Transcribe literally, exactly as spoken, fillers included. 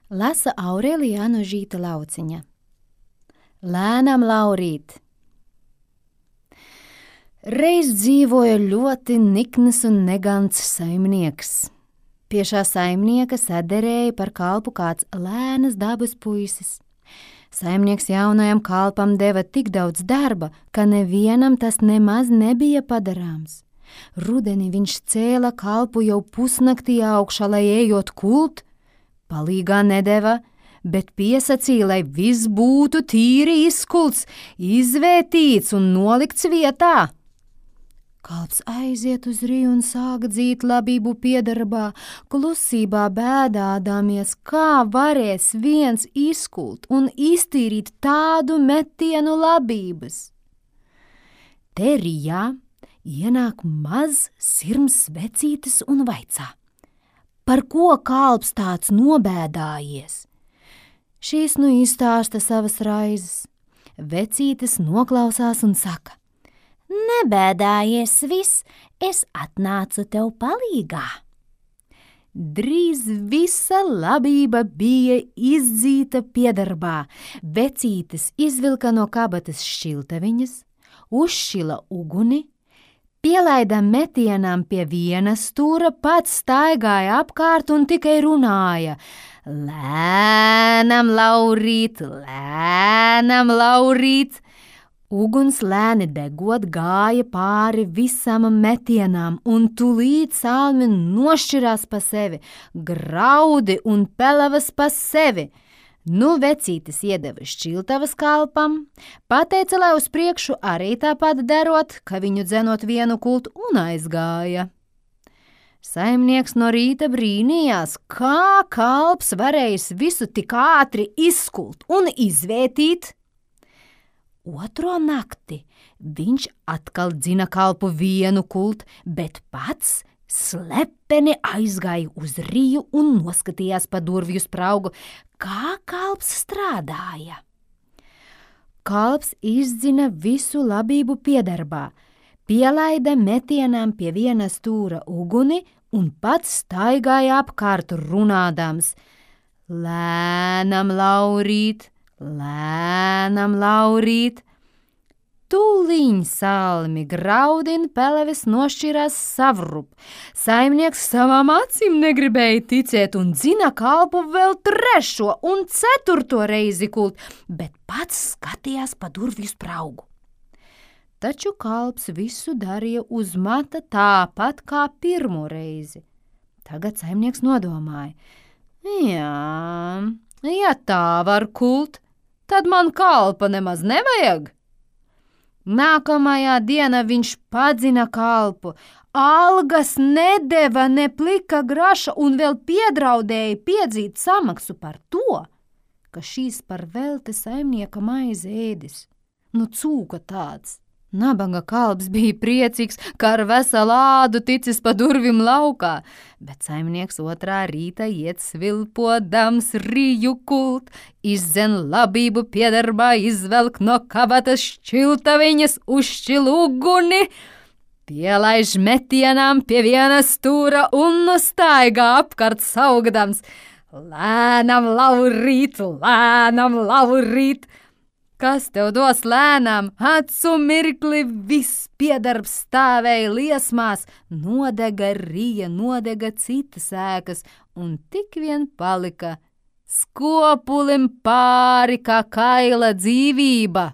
Lasa Aurelija Anožīta Lauciņa. Lēnam laurīt. Reiz dzīvoja ļoti nikns un negants saimnieks. Pie šā saimnieka saderēja par kalpu kāds lēnas dabas puisis. Saimnieks jaunajam kalpam deva tik daudz darba, ka nevienam tas nemaz nebija padarāms. Rudenī viņš cēla kalpu jau pusnaktī augšā, lai ejot kult, palīgā nedeva, bet piesacīja, lai viss būtu tīri izkults, izvērtīts un nolikts vietā. Kalps aiziet uz riju un sāk dzīt labību piedarbā, klusībā bēdādāmies, kā varēs viens izkult un iztīrīt tādu metienu labības. Te rijā ienāk maz sirms vecītis un vaicā, par ko kalps tāds nobēdājies. Šīs nu izstāsta savas raizes. Vecītis noklausās un saka, nebēdājies viss, es atnācu tev palīgā. Drīz visa labība bija izdzīta piedarbā. Vecītis izvilka no kabatas šķiltaviņas, uzšķila uguni, pielaida metienām pie viena stūra, pats staigāja apkārt un tikai runāja. Lēnam laurīt, lēnam laurīt. Uguns lēni degot gāja pāri visam metienām un tūlīt salmi nošķirās pa sevi, graudi un pelavas pa sevi. Nu vecītis iedeva šķiltavas kalpam, pateica, lai uz priekšu arī tāpat darot, ka viņu dzenot vienu kultu un aizgāja. Saimnieks no rīta brīnījās, kā kalps varējis visu tik ātri izskult un izvērtīt. Otro nakti viņš atkal dzina kalpu vienu kultu, bet pats slepeni aizgāja uz riju un noskatījās pa durvju spraugu, kā kalps strādāja. Kalps izdzina visu labību piedarbā, pielaida metienām pie viena stūra uguni un pats staigāja apkārt runādams. Lēnam laurīt, lēnam laurīt. Tūliņ salmi graudin peleves nošķirās savrup. Saimnieks savām acīm negribēja ticēt un dzina kalpu vēl trešo un ceturto reizi kult, bet pats skatījās pa durvju spraugu. Taču kalps visu darīja uz mata tāpat kā pirmo reizi. Tagad saimnieks nodomāja, jā, ja tā var kult, tad man kalpa nemaz nevajag. Nākamajā dienā viņš padzina kalpu, algas nedeva ne plika graša un vēl piedraudēja piedzīt samaksu par to, ka šīs par velti saimnieka maize ēdis. Nu cūka tāds. Nabaga kalps bija priecīgs, ka ar veselu ādu ticis pa durvim laukā, bet saimnieks otrā rīta iet svilpodams riju kult, izdzen labību piedarbā, izvelk no kabatas šķiltaviņas, uzšķil uguni, pielaiž metienām pie viena stūra un staigā apkārt saugdams. Lēnam laurīt, lēnam laurīt. Kas tev dos lēnām? Acu mirkli viss piedarbs stāvēja liesmās, nodega rija, nodega citas ēkas, un tik vien palika skopulim pāri kā kaila dzīvība.